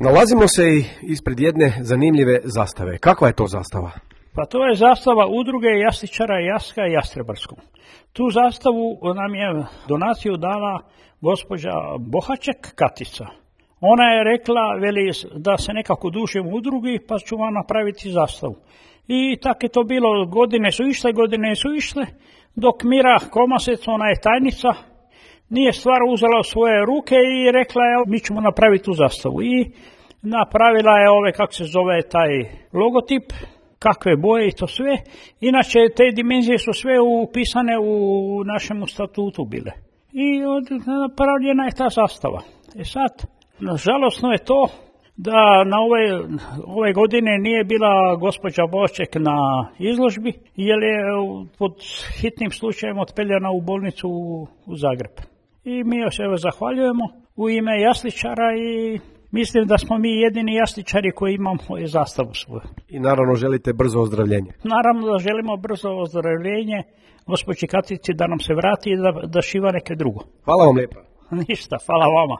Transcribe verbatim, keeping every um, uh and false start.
Nalazimo se i ispred jedne zanimljive zastave. Kakva je to zastava? Pa to je zastava udruge jasličara Jaska i Jastrebarskog. Tu zastavu nam je donaciju dala gospođa Bohaček Katica. Ona je rekla, veli, da se nekako dušim u udrugi, pa ću vam napraviti zastavu. I tako je to bilo, godine su išle, godine su išle, dok Mira Komasec, ona je tajnica, nije stvar uzela u svoje ruke i rekla je, mi ćemo napraviti tu zastavu. I napravila je ove, kako se zove, taj logotip, kakve boje i to sve. Inače, te dimenzije su sve upisane u našem statutu bile. I napravljena je ta zastava. E sad, nažalostno je to da na ove, ove godine nije bila gospođa Bošček na izložbi, jer je pod hitnim slučajem otpeljana u bolnicu u, u Zagreb. I mi joj se evo zahvaljujemo u ime jasličara i mislim da smo mi jedini jasličari koji imamo zastavu svoju. I naravno želite brzo ozdravljenje. Naravno da želimo brzo ozdravljenje gospođi Katici da nam se vrati i da, da šiva neke drugo. Hvala vam lijepa. Ništa, hvala vama.